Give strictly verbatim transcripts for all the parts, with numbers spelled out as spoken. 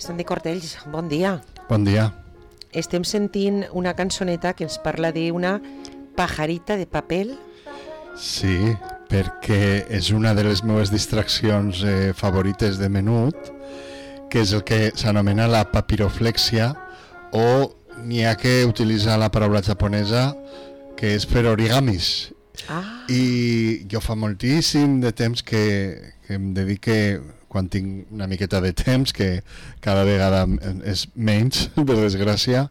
Santi Cortells, bon dia. Bon dia. Estem sentint una cançoneta que ens parla d'una pajarita de paper. Sí, perquè és una de les meves distraccions eh, favorites de menut, que és el que s'anomena la papiroflexia, o n'hi ha que utilitzar la paraula japonesa, que és per origamis. Ah. I jo fa moltíssim de temps que, que em dedique, quan tinc una miqueta de temps, que cada vegada és menys, per desgràcia,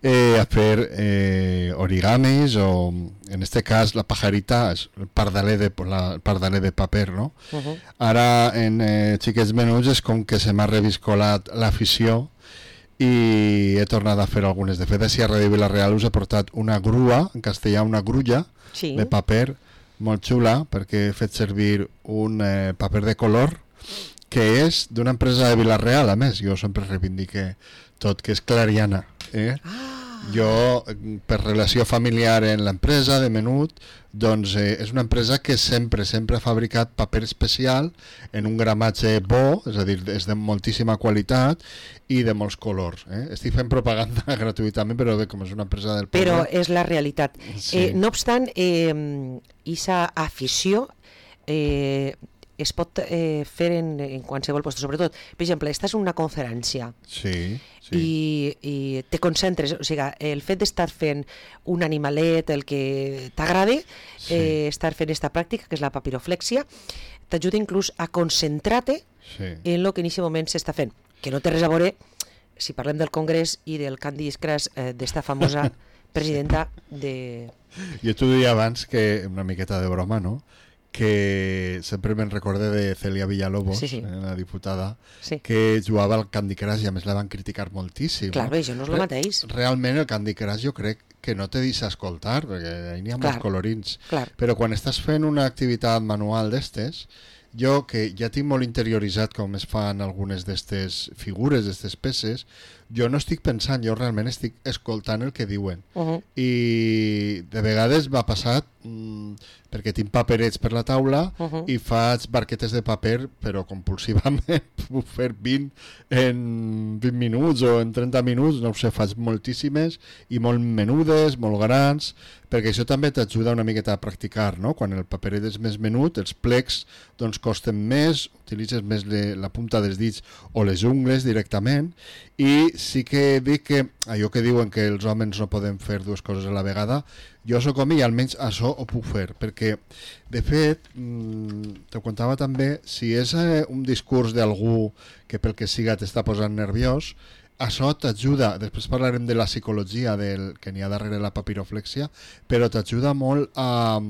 eh, a fer eh, origamis o, en este cas, la pajarita, el pardaler de, la, el pardaler de paper, no? Uh-huh. Ara, en eh, xiquets menuts, és com que se m'ha reviscolat l'afició i he tornat a fer algunes. De fet, així a Ràdio Vila-real us he portat una grua, en castellà una grulla, sí, de paper, molt xula, perquè he fet servir un eh, paper de color que és d'una empresa de Vila-real, a més. Jo sempre reivindique tot, que és Clariana. Eh? Ah. Jo, per relació familiar en l'empresa de menut, doncs eh, és una empresa que sempre, sempre ha fabricat paper especial en un gramatge bo, és a dir, és de moltíssima qualitat i de molts colors. Eh? Estic fent propaganda gratuïtament, però bé, com és una empresa del poble... Però és la realitat. Sí. Eh, no obstant, eh, aquesta afició eh, es pot eh, fer en, en qualsevol lloc. Sobretot, per exemple, estàs en una conferència. Sí, sí. I, i te concentres, o sigui, el fet d'estar fent un animalet, el que t'agrada, sí. eh, estar fent aquesta pràctica, que és la papiroflexia, t'ajuda inclús a concentrar-te sí. en el que en aquest moment s'està fent, que no té res a veure, si parlem del Congrés i del Candy Crush, eh, d'esta famosa presidenta de... Jo t'ho deia abans, que una miqueta de broma, no?, que sempre me'n recorde de Celia Villalobos, sí, sí. Eh, la diputada, sí. que jugava al Candy Crush i a més la van criticar moltíssim. Clar, bé, això no és el mateix. Realment el Candy Crush jo crec que no te deixa escoltar, perquè ahí n'hi ha molts colorins. Clar. Però quan estàs fent una activitat manual d'estes, jo que ja tinc molt interioritzat com es fan algunes d'estes figures, d'estes peces, jo no estic pensant, jo realment estic escoltant el que diuen. Uh-huh. I de vegades m'ha passat... Mmm, perquè tinc paperets per la taula uh-huh. i faig barquetes de paper, però compulsivament, puc fer vint en vint minuts o en trenta minuts, no ho sé, faig moltíssimes i molt menudes, molt grans, perquè això també t'ajuda una miqueta a practicar, no? Quan el paperet és més menut, els plecs doncs costen més, utilitzes més le, la punta dels dits o les ungles directament, i sí que dic que allò que diuen que els homes no poden fer dues coses a la vegada, jo sóc home i almenys això ho puc fer, perquè de fet, mmm, te contava també, si és eh, un discurs d'algú que pel que siga t'està posant nerviós, això t'ajuda, després parlarem de la psicologia del que n'hi ha darrere la papiroflexia, però t'ajuda molt a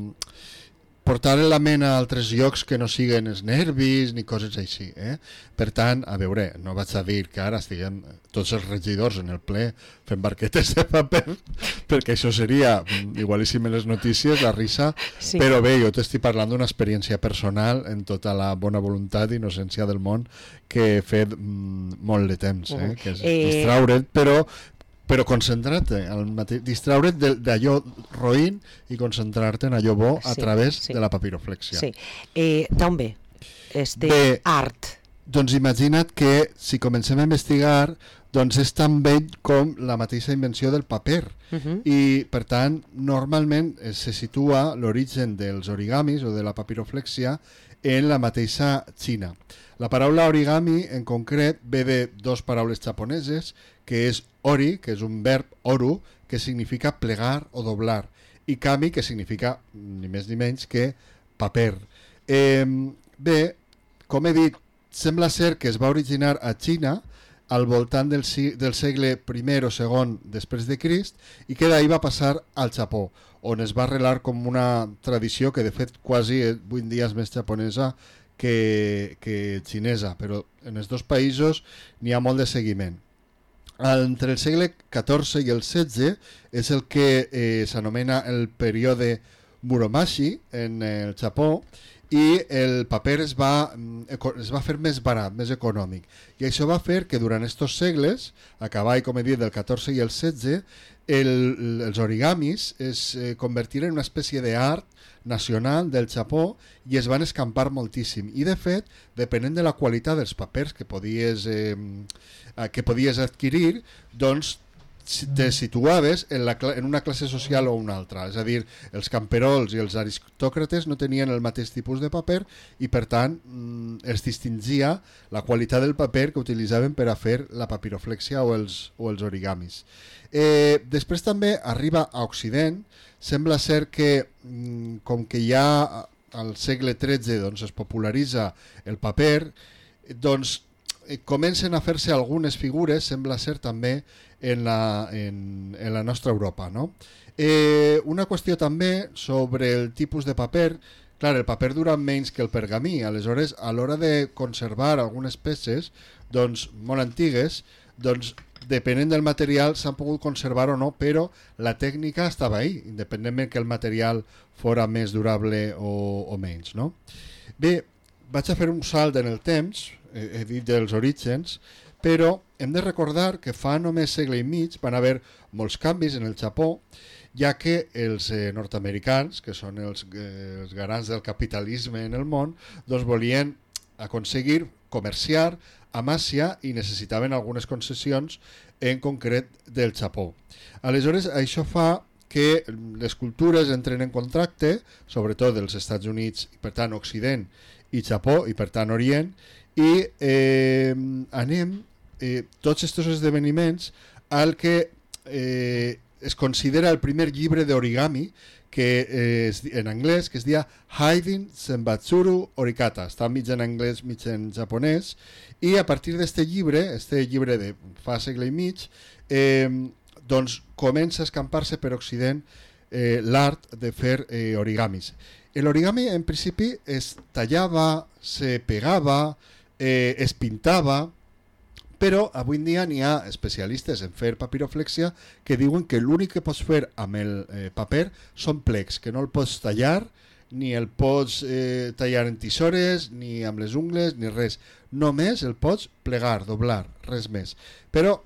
portar la ment a altres llocs que no siguen els nervis ni coses així. Eh? Per tant, a veure, no vaig a dir que ara estiguem tots els regidors en el ple fent barquetes de paper, perquè això seria igualíssim en les notícies, la risa, sí. Però bé, jo t'estic parlant d'una experiència personal en tota la bona voluntat i innocència del món que he fet mm, molt de temps, eh? Uh-huh. Que és eh... distraure't, però però concentrar-te, distraure't d'allò roïn i concentrar-te en allò bo a sí, través sí. de la papiroflexia. Sí. Eh, D'on ve este bé, art? Doncs imagina't que si comencem a investigar, doncs és tan vell com la mateixa invenció del paper. Uh-huh. I, per tant, normalment se situa l'origen dels origamis o de la papiroflexia en la mateixa Xina. La paraula origami, en concret, ve de dues paraules japoneses, que és ori, que és un verb oru, que significa plegar o doblar, i kami, que significa ni més ni menys que paper. Eh, bé, com he dit, sembla ser que es va originar a Xina al voltant del, del segle primer o segon després de Crist i que d'ahir va passar al Japó, on es va arrelar com una tradició que de fet quasi avui en dia és més japonesa que, que xinesa, però en els dos països n'hi ha molt de seguiment. Entre el segle catorze i el setze és el que eh, s'anomena el període Muromachi en el Japó, i el paper es va, es va fer més barat, més econòmic. I això va fer que durant aquests segles, a cavall, com he dit, del catorze i el setze, el, els origamis es eh, convertiren en una espècie d'art nacional del Japó i es van escampar moltíssim. I de fet, depenent de la qualitat dels papers que podies, eh, que podies adquirir, doncs te situaves en, la, en una classe social o una altra. És a dir, els camperols i els aristòcrates no tenien el mateix tipus de paper i per tant es distingia la qualitat del paper que utilitzaven per a fer la papiroflèxia o els, o els origamis. Eh, després també arriba a Occident. Sembla ser que com que ja al segle tretze doncs, es popularitza el paper, doncs comencen a fer-se algunes figures, sembla ser també en la, en, en la nostra Europa, no? Eh, una qüestió també sobre el tipus de paper. Clar, el paper dura menys que el pergamí, aleshores a l'hora de conservar algunes peces doncs, molt antigues, doncs depenent del material s'han pogut conservar o no, però la tècnica estava ahí, independentment que el material fora més durable o, o menys, no? Bé, vaig a fer un salt en el temps, he dit dels orígens, però hem de recordar que fa només segle i mig van haver molts canvis en el Japó, ja que els eh, nord-americans, que són els, eh, els garants del capitalisme en el món, doncs volien aconseguir comerciar amb Àsia i necessitaven algunes concessions, en concret del Japó. Aleshores, això fa que les cultures entren en contracte, sobretot dels Estats Units, i per tant Occident i Japó, i per tant Orient, i eh, anem eh, tots aquests esdeveniments al que eh, es considera el primer llibre d'origami que eh, es, en anglès, que es dia Haiden Senbatsuru Orikata. Està mig en anglès, mig en japonès, i a partir d'aquest llibre, este llibre de fa segle i mig, eh, doncs comença a escampar-se per Occident eh, l'art de fer eh, origamis. L'origami en principi es tallava, se pegava, eh, es pintava, però avui en dia n'hi ha especialistes en fer papiroflèxia que diuen que l'únic que pots fer amb el eh, paper són plecs, que no el pots tallar, ni el pots eh, tallar en tisores, ni amb les ungles, ni res. Només el pots plegar, doblar, res més. Però,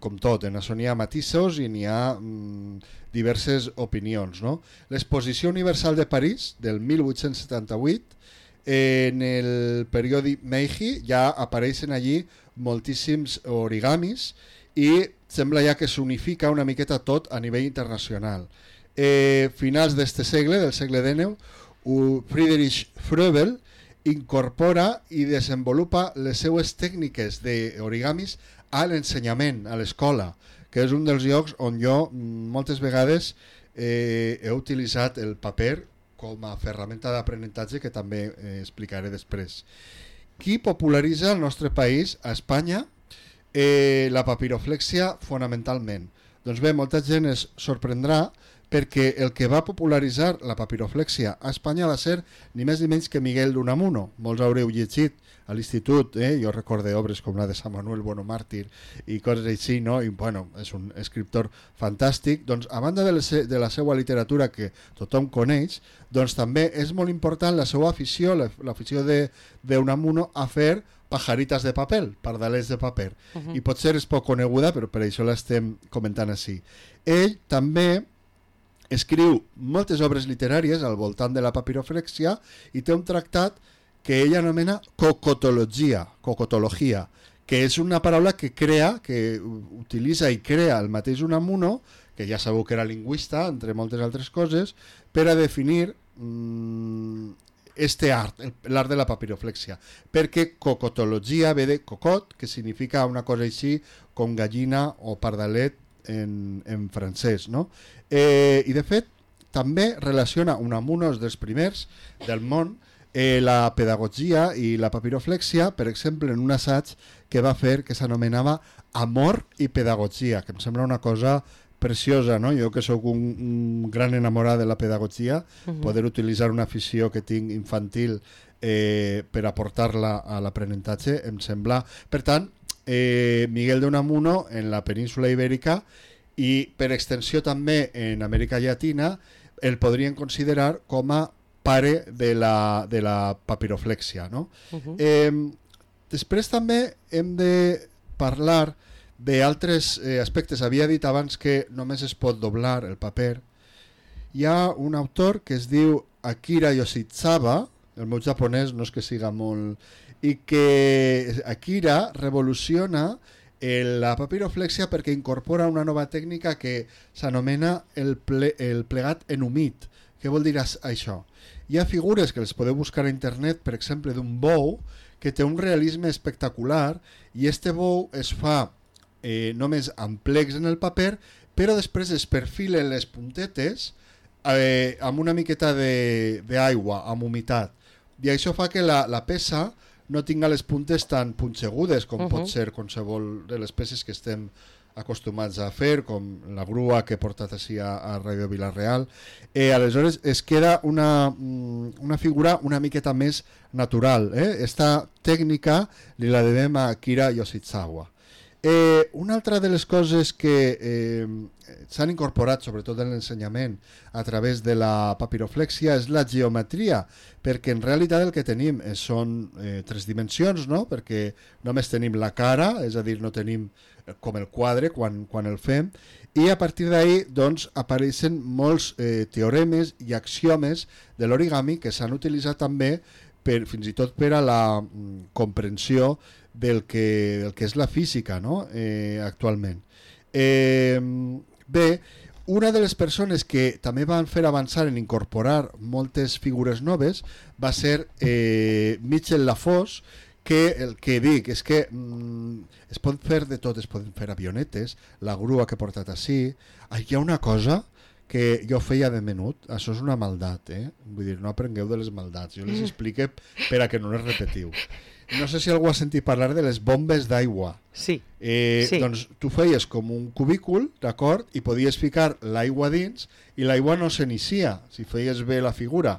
com tot, en això n'hi ha matisos i n'hi ha mm, diverses opinions, no? L'Exposició Universal de París, del mil vuit-cents setanta-vuit, en el periòdic Meiji ja apareixen allí moltíssims origamis i sembla ja que s'unifica una miqueta tot a nivell internacional. Eh, finals d'este segle, del segle dinou, Friedrich Froebel incorpora i desenvolupa les seues tècniques d'origamis a l'ensenyament, a l'escola, que és un dels llocs on jo moltes vegades eh, he utilitzat el paper com a ferramenta d'aprenentatge, que també eh, explicaré després. Qui popularitza al nostre país, a Espanya, eh, la papiroflèxia fonamentalment? Doncs bé, molta gent es sorprendrà perquè el que va popularitzar la papiroflèxia a Espanya va ser ni més ni menys que Miguel d'Unamuno. Molts haureu llegit a l'institut, eh? Jo recordo obres com la de Sant Manuel Bueno Màrtir i coses així, no? I bueno, és un escriptor fantàstic. Doncs a banda de la, de la seva literatura que tothom coneix, doncs també és molt important la seva afició, l'afició d'Unamuno a fer pajaritas de paper, pardalets de paper. Uh-huh. I potser és poc coneguda, però per això l'estem comentant així. Ell també escriu moltes obres literàries al voltant de la papiroflèxia i té un tractat que ell anomena cocotologia, cocotologia, que és una paraula que crea, que utilitza i crea el mateix Unamuno, que ja sabeu que era lingüista, entre moltes altres coses, per a definir mmm, este art, l'art de la papiroflèxia, perquè cocotologia ve de cocot, que significa una cosa així com gallina o pardalet en, en francès, no? Eh, I de fet, també relaciona Unamuno dels primers del món eh, la pedagogia i la papiroflèxia, per exemple, en un assaig que va fer que s'anomenava Amor i Pedagogia, que em sembla una cosa preciosa, no? Jo que sóc un, un gran enamorat de la pedagogia, uh-huh. Poder utilitzar una afició que tinc infantil eh, per aportar-la a l'aprenentatge em sembla... Per tant, eh, Miguel de Unamuno en la península ibèrica i per extensió també en Amèrica Llatina el podrien considerar com a pare de la, de la papiroflèxia, no? Uh-huh. Eh, després també hem de parlar d'altres eh, aspectes. Havia dit abans que només es pot doblar el paper. Hi ha un autor que es diu Akira Yoshizawa, el meu japonès no és que siga molt... i que Akira revoluciona la papiroflèxia perquè incorpora una nova tècnica que s'anomena el, ple, el plegat en humit. Què vol dir això? Hi ha figures que les podeu buscar a internet, per exemple, d'un bou que té un realisme espectacular i este bou es fa eh, només amb plecs en el paper, però després es perfilen les puntetes eh, amb una miqueta d'aigua, amb humitat. I això fa que la, la peça no tinga les puntes tan punxegudes com uh -huh. pot ser qualsevol de les peces que estem acostumats a fer, com la grua que he portat així a, a Ràdio Vila-real. Eh, aleshores es queda una, una figura una miqueta més natural. Eh? Esta tècnica li la devem a Akira Yoshizawa. Eh, una altra de les coses que eh, s'han incorporat, sobretot en l'ensenyament, a través de la papiroflèxia és la geometria, perquè en realitat el que tenim és, són eh, tres dimensions, no? Perquè només tenim la cara, és a dir, no tenim com el quadre quan, quan el fem, i a partir d'ahí doncs, apareixen molts eh, teoremes i axiomes de l'origami que s'han utilitzat també per, fins i tot per a la mm, comprensió del que, del que és la física, no? eh, actualment. Eh, bé, una de les persones que també van fer avançar en incorporar moltes figures noves va ser eh, Michel Lafos, que el que dic és que mm, es pot fer de tot, es poden fer avionetes, la grua que he portat així. Hi ha una cosa que jo feia de menut, això és una maldat, eh? Vull dir, no aprengueu de les maldats, jo les explique per a que no les repetiu. No sé si algú ha sentit parlar de les bombes d'aigua. Sí. Eh, sí. Doncs tu feies com un cubícul, d'acord? I podies ficar l'aigua dins i l'aigua no s'inicia, si feies bé la figura.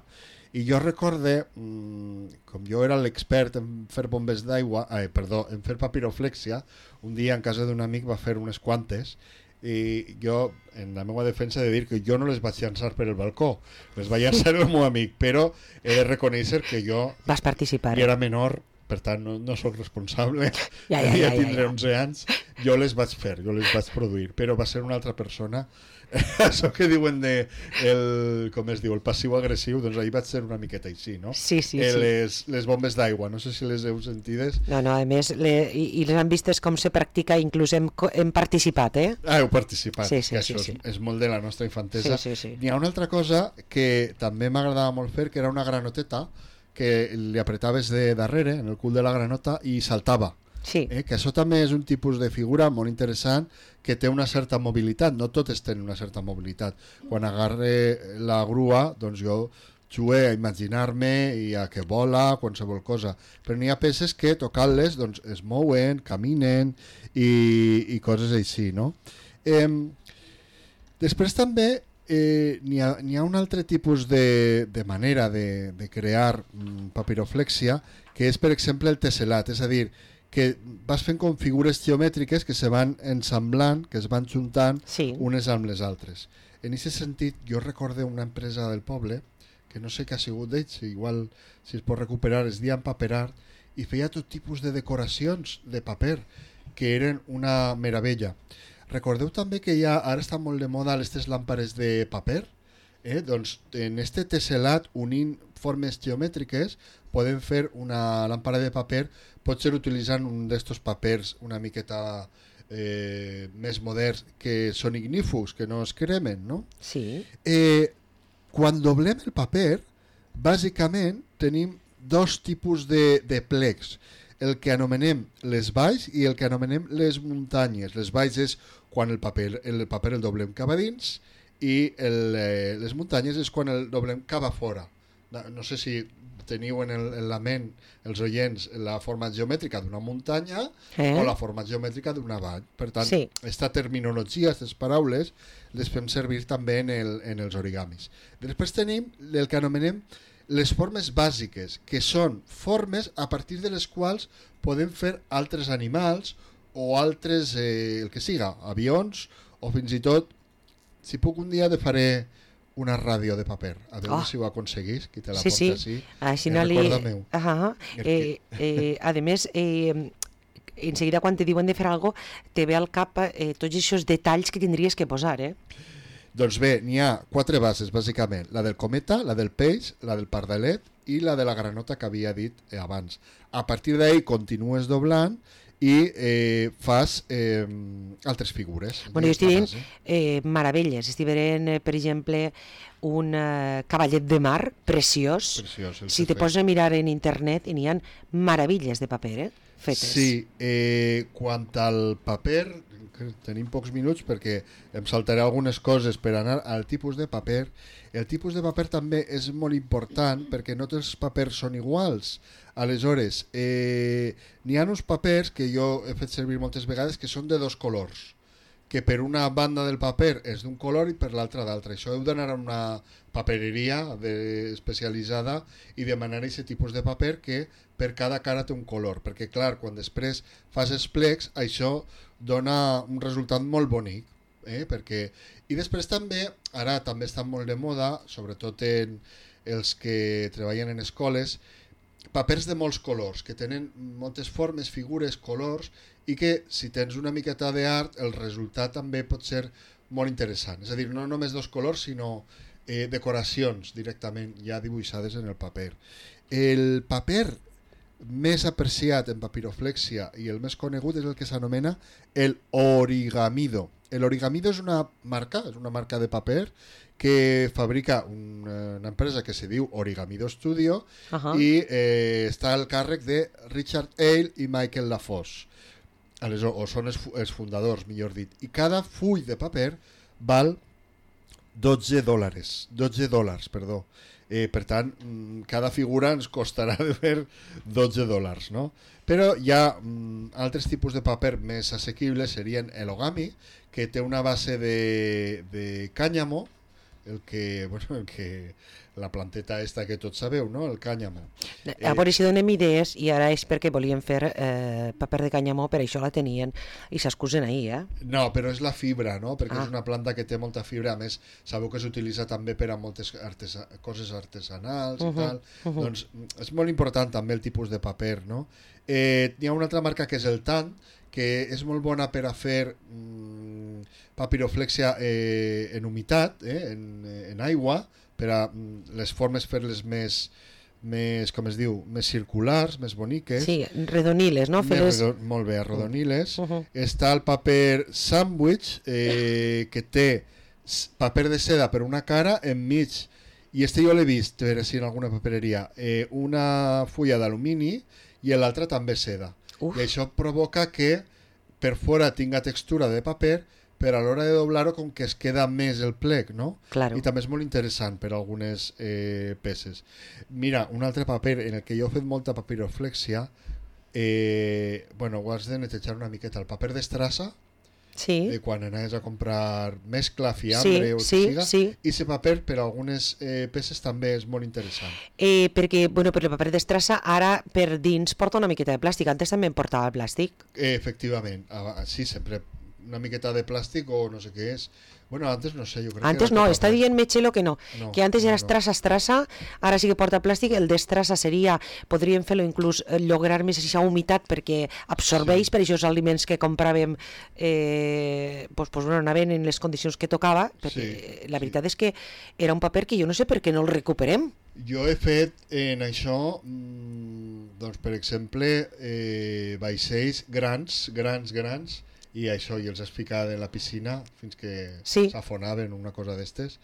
I jo recorde, mmm, com jo era l'expert en fer bombes d'aigua, eh, perdó, en fer papiroflèxia, un dia en casa d'un amic va fer unes quantes i jo, en la meva defensa, he de dir que jo no les vaig llançar per el balcó, les va llançar el meu amic, però he de reconèixer que jo vas participar, eh? era menor, per tant no, no sóc responsable, ja, ja, ja, ja ja, tindré ja. onze anys, jo les vaig fer, jo les vaig produir, però va ser una altra persona. Això que diuen de el, com es diu, el passiu-agressiu, doncs ahir vaig ser una miqueta així, no? Sí, sí, eh, sí. Les, les bombes d'aigua, no sé si les heu sentides. No, no, a més, le, i, i les han vistes com se practica, inclús hem, hem participat, eh? Ah, heu participat, sí, sí, que sí, això sí. És, és molt de la nostra infantesa. Sí, sí, sí. N'hi ha una altra cosa que també m'agradava molt fer, que era una granoteta que li apretaves de darrere, en el cul de la granota, i saltava. Sí. Eh, que això també és un tipus de figura molt interessant que té una certa mobilitat, no totes tenen una certa mobilitat. Quan agarre la grua, doncs jo jugué a imaginar-me i a que vola, qualsevol cosa. Però n'hi ha peces que tocant-les doncs, es mouen, caminen i, i coses així, no? Eh, després també eh, n'hi ha, n'hi ha un altre tipus de, de manera de, de crear mm, papiroflèxia, que és, per exemple, el tesselat, és a dir, que vas fent com figures geomètriques que se van ensamblant, que es van juntant sí. unes amb les altres. En aquest sentit, jo recorde una empresa del poble, que no sé què ha sigut d'ells, igual si es pot recuperar, es deia Paperar, i feia tot tipus de decoracions de paper, que eren una meravella. Recordeu també que ja ara està molt de moda aquestes làmpares de paper? Eh? Doncs en este tesselat, unint formes geomètriques, podem fer una làmpara de paper, potser utilitzant un d'estos papers una miqueta eh, més moderns que són ignífugs, que no es cremen, no? Sí. Eh, quan doblem el paper, bàsicament tenim dos tipus de, de plecs, el que anomenem les valls i el que anomenem les muntanyes. Les valls és quan el paper el, paper el doblem cap a dins i el, eh, les muntanyes és quan el doblem cap a fora. No sé si teniu en, el, en la ment els oients la forma geomètrica d'una muntanya eh? o la forma geomètrica d'una vall. Per tant, sí. Esta terminologia, aquestes paraules, les fem servir també en, el, en els origamis. Després tenim el que anomenem les formes bàsiques, que són formes a partir de les quals podem fer altres animals o altres, eh, el que siga, avions o fins i tot, si puc un dia de faré una ràdio de paper. A veure Oh. si ho aconseguís, qui te la Sí, porta sí. així. Així és no li... recorda meu. Ajá. Eh, eh, a més, eh, enseguida quan te diuen de fer alguna cosa, te ve al cap eh, tots aquests detalls que tindries que posar, eh? Doncs bé, n'hi ha quatre bases, bàsicament. La del cometa, la del peix, la del pardalet i la de la granota que havia dit eh, abans. A partir d'ahí continues doblant i eh, fas eh, altres figures. Bueno, jo estic dient eh, meravelles. Estic veient, eh, per exemple, un eh, cavallet de mar preciós. Preciós, el Si que te fet. poses a mirar en internet, i n'hi ha meravilles de paper, eh? Fetes. Sí, eh, quant al paper, que tenim pocs minuts perquè em saltaré algunes coses per anar al tipus de paper. El tipus de paper també és molt important perquè no tots els papers són iguals. Aleshores, eh, n'hi ha uns papers que jo he fet servir moltes vegades que són de dos colors, que per una banda del paper és d'un color i per l'altra d'altre. Això heu d'anar a una papereria de, especialitzada i demanar aquest tipus de paper que per cada cara té un color, perquè clar, quan després fas els plecs, això dona un resultat molt bonic. Eh? Perquè... I després també, ara també està molt de moda, sobretot en els que treballen en escoles, papers de molts colors, que tenen moltes formes, figures, colors, i que si tens una miqueta d'art el resultat també pot ser molt interessant. És a dir, no només dos colors, sinó eh, decoracions directament ja dibuixades en el paper. El paper més apreciat en papiroflèxia i el més conegut és el que s'anomena el origamido. El origamido és una marca, és una marca de paper que fabrica una, una empresa que se diu Origamido Studio uh -huh. i eh, està al càrrec de Richard Hale i Michael LaFosse. Aleshores, o són els, els fundadors, millor dit. I cada full de paper val dotze dòlars. dotze dòlars, perdó. Eh, per tant, cada figura ens costarà de fer dotze dòlars, no? Però hi ha mm, altres tipus de paper més assequibles, serien el ogami, que té una base de, de cànyamo, el que, bueno, el que la planteta esta que tots sabeu, no? El cànyamo. A veure si donem idees, i ara és perquè volien fer eh, paper de cànyamo, per això la tenien, i s'excusen ahir, eh? No, però és la fibra, no? Perquè ah. és una planta que té molta fibra, a més, sabeu que s'utilitza també per a moltes artesa coses artesanals uh -huh, i tal. Uh -huh. Doncs és molt important també el tipus de paper, no? Eh, hi ha una altra marca que és el Tant, que és molt bona per a fer mm, papiroflèxia eh, en humitat, eh, en, en aigua, per a mm, les formes fer-les més, més, com es diu, més circulars, més boniques. Sí, redoniles, no? Més redo molt bé, arrodoniles. Uh -huh. Està el paper sandwich, eh, que té paper de seda per una cara, enmig, i este jo l'he vist, a veure si en alguna papereria, eh, una fulla d'alumini i l'altra també seda. Uf. I això provoca que per fora tinga textura de paper, però a l'hora de doblar-ho com que es queda més el plec, no? Claro. I també és molt interessant per a algunes eh, peces. Mira, un altre paper en el que jo he fet molta papiroflèxia, eh, bueno, ho has de netejar una miqueta. El paper d'estrassa, sí. de quan anaves a comprar mescla, fiambre sí, o el sí, que siga, sí. i aquest paper per a algunes eh, peces també és molt interessant. Eh, perquè, bueno, per el paper d'estrassa ara per dins porta una miqueta de plàstic, antes també en portava el plàstic. Eh, efectivament, ah, sí, sempre una miqueta de plàstic o no sé què és. Bueno, antes no sé, jo crec antes que no, està dient Mechelo que no, no que antes no, era no. estrassa, estrassa, ara sí que porta plàstic, el d'estrassa seria, podríem fer-lo inclús eh, lograr més aquesta humitat perquè absorbeix sí. per aquests aliments que compràvem, eh, pues, pues, bueno, anaven en les condicions que tocava, perquè sí, la veritat sí. és que era un paper que jo no sé per què no el recuperem. Jo he fet en això, doncs per exemple, eh, vaixells grans, grans, grans, i això, i els has ficat en la piscina fins que sí. s'afonaven, una cosa d'estes,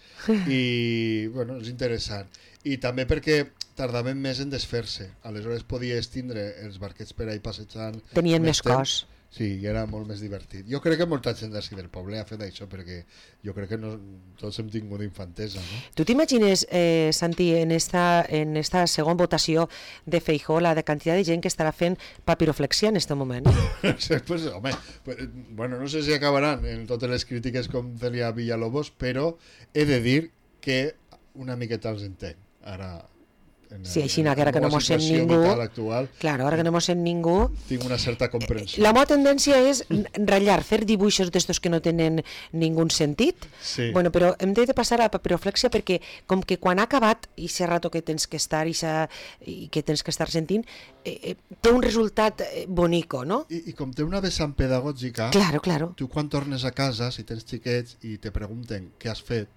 i bueno, és interessant. I també perquè tardaven més en desfer-se, aleshores podies tindre els barquets per ahí passejant. Tenien més, més cos. Sí, i era molt més divertit. Jo crec que molta gent d'ací del poble ha fet això perquè jo crec que no, tots hem tingut infantesa, no? Tu t'imagines, eh, Santi, en esta, en esta segona votació de Feijóo, la de quantitat de gent que estarà fent papiroflexia en aquest moment? pues, home, pues, bueno, no sé si acabaran en totes les crítiques com Celia Villalobos, però he de dir que una miqueta els entenc. Ara, en, sí, així en, que ara que no mos sent ningú, actual, claro, ara que no mos sent ningú, tinc una certa comprensió. La meva tendència és ratllar, fer dibuixos d'estos que no tenen ningú sentit, sí. Bueno, però hem de passar a la papiroflèxia perquè com que quan ha acabat i s'ha rato que tens que estar i, i que tens que estar sentint, eh, té un resultat bonico, no? I, i com té una vessant pedagògica, claro, claro. Tu quan tornes a casa, si tens xiquets i te pregunten què has fet,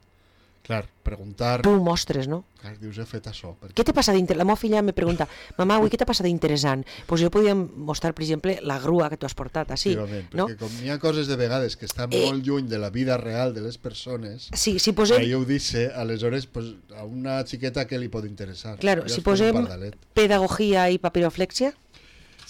clar, preguntar... Tu ho mostres, no? Clar, dius, he fet això. Perquè... Què t'ha passat d'interessant? La meva filla me pregunta, mamà, avui què t'ha passat d'interessant? Doncs pues jo podia mostrar, per exemple, la grua que tu has portat, així. No? Perquè com hi ha coses de vegades que estan eh... molt lluny de la vida real de les persones, sí, si posem... ahir ho dice, aleshores pues, a una xiqueta què li pot interessar? Claro, si posem pedagogia i papiroflèxia...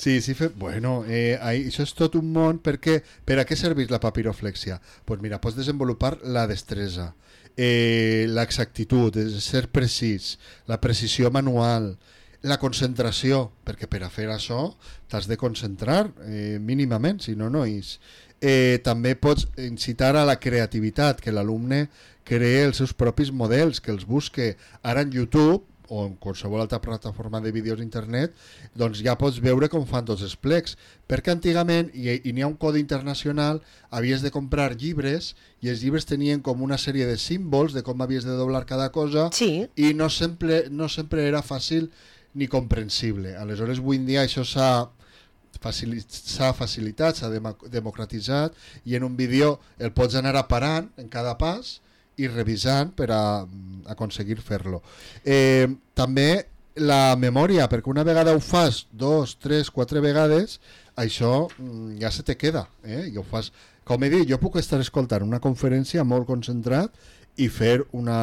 Sí, sí, fe... bueno, eh, ahí, això és tot un món, perquè per a què serveix la papiroflèxia? Doncs pues mira, pots desenvolupar la destresa, eh, l'exactitud, ser precís, la precisió manual, la concentració, perquè per a fer això t'has de concentrar eh, mínimament, si no, no és. Eh, també pots incitar a la creativitat, que l'alumne cree els seus propis models, que els busque. Ara en YouTube o en qualsevol altra plataforma de vídeos d'internet, doncs ja pots veure com fan tots els plecs. Perquè antigament, i, i n'hi ha un codi internacional, havies de comprar llibres i els llibres tenien com una sèrie de símbols de com havies de doblar cada cosa sí. i no sempre, no sempre era fàcil ni comprensible. Aleshores, avui en dia això s'ha s'ha facilitat, s'ha democratitzat i en un vídeo el pots anar aparant en cada pas i revisant per a aconseguir fer-lo. Eh, també la memòria, perquè una vegada ho fas dos, tres, quatre vegades, això ja se te queda. Eh? I ho fas, com he dit, jo puc estar escoltant una conferència molt concentrat i fer una,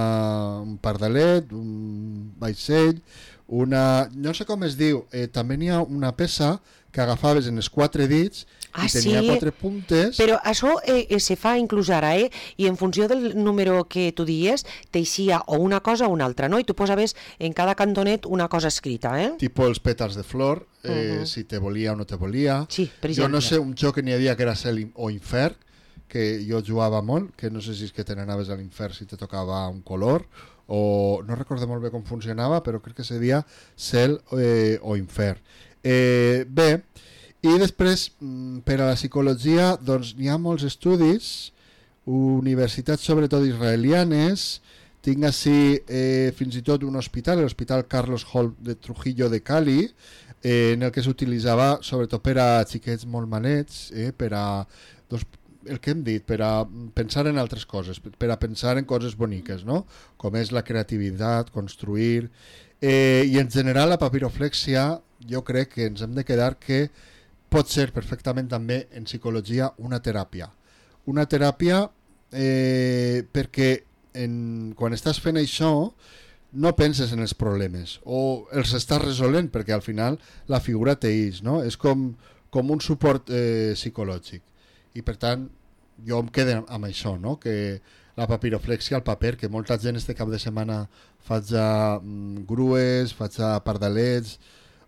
un pardalet, un vaixell, una... no sé com es diu, eh, també n'hi ha una peça que agafaves en els quatre dits ah, i tenia sí? quatre puntes. Però això eh, eh, se fa inclús ara, eh? I en funció del número que tu dies, t'eixia o una cosa o una altra, no? I tu posaves en cada cantonet una cosa escrita, eh? Tipo els pètals de flor, eh, uh -huh. si te volia o no te volia. Sí, per exemple. Jo no sé, un joc que n'hi havia que era cel o infern, que jo jugava molt, que no sé si és que te n'anaves a l'infern si te tocava un color, o no recordo molt bé com funcionava, però crec que seria cel eh, o infern. Eh, bé, i després per a la psicologia doncs n'hi ha molts estudis, universitats sobretot israelianes, tinc així eh, fins i tot un hospital, l'hospital Carlos Hall de Trujillo de Cali, eh, en el que s'utilitzava sobretot per a xiquets molt manets, eh, per a doncs, el que hem dit, per a pensar en altres coses, per a pensar en coses boniques, no? Com és la creativitat, construir... Eh, I en general la papiroflèxia jo crec que ens hem de quedar que pot ser perfectament també en psicologia una teràpia. Una teràpia eh, perquè en, quan estàs fent això no penses en els problemes o els estàs resolent perquè al final la figura t'eix, no? És com, com un suport eh, psicològic. I per tant jo em quedo amb això, no? Que la papiroflèxia, el paper, que molta gent este cap de setmana faig a mm, grues, faig a pardalets,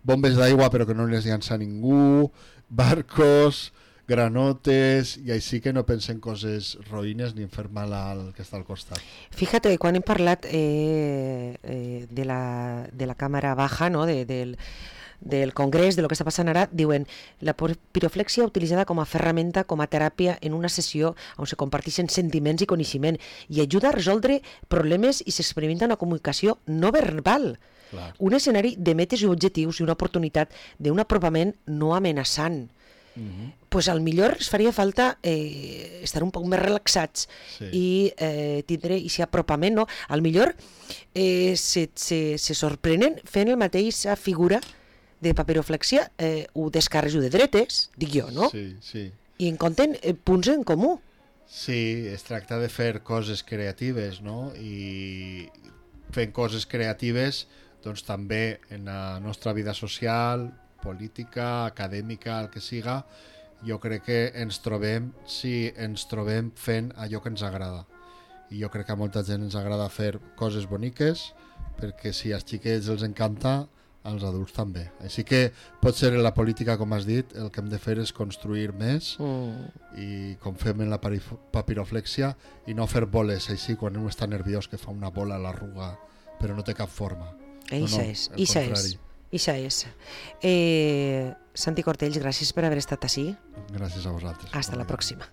bombes d'aigua però que no les llança ningú, barcos, granotes, i així que no pensen coses roïnes ni en fer mal al que està al costat. Fíjate, quan hem parlat eh, eh, de, la, de la càmera baja, no? de, del, del congrés, de lo que està passant ara, diuen la piroflèxia utilitzada com a ferramenta, com a teràpia en una sessió on se comparteixen sentiments i coneixement i ajuda a resoldre problemes i s'experimenta una comunicació no verbal. Clar. Un escenari de metes i objectius i una oportunitat d'un apropament no amenaçant. Uh-huh. Pues al millor es faria falta eh, estar un poc més relaxats sí. i eh, tindre aquest apropament, no? Al millor eh, se, se, se sorprenen fent la mateixa figura de papiroflèxia, eh, ho d'esquerres i ho de dretes, dic jo, no? Sí, sí. I en compten eh, punts en comú. Sí, es tracta de fer coses creatives, no? I fent coses creatives, doncs també en la nostra vida social, política, acadèmica, el que siga, jo crec que ens trobem, si ens trobem fent allò que ens agrada. I jo crec que a molta gent ens agrada fer coses boniques, perquè si als xiquets els encanta, als adults també. Així que pot ser en la política, com has dit, el que hem de fer és construir més mm. i com fem en la papiroflèxia i no fer boles així quan un està nerviós que fa una bola a l'arruga però no té cap forma. Eixa és, eixa és. Eixa és. Eh, Santi Cortells, gràcies per haver estat ací. Gràcies a vosaltres. Hasta la pròxima.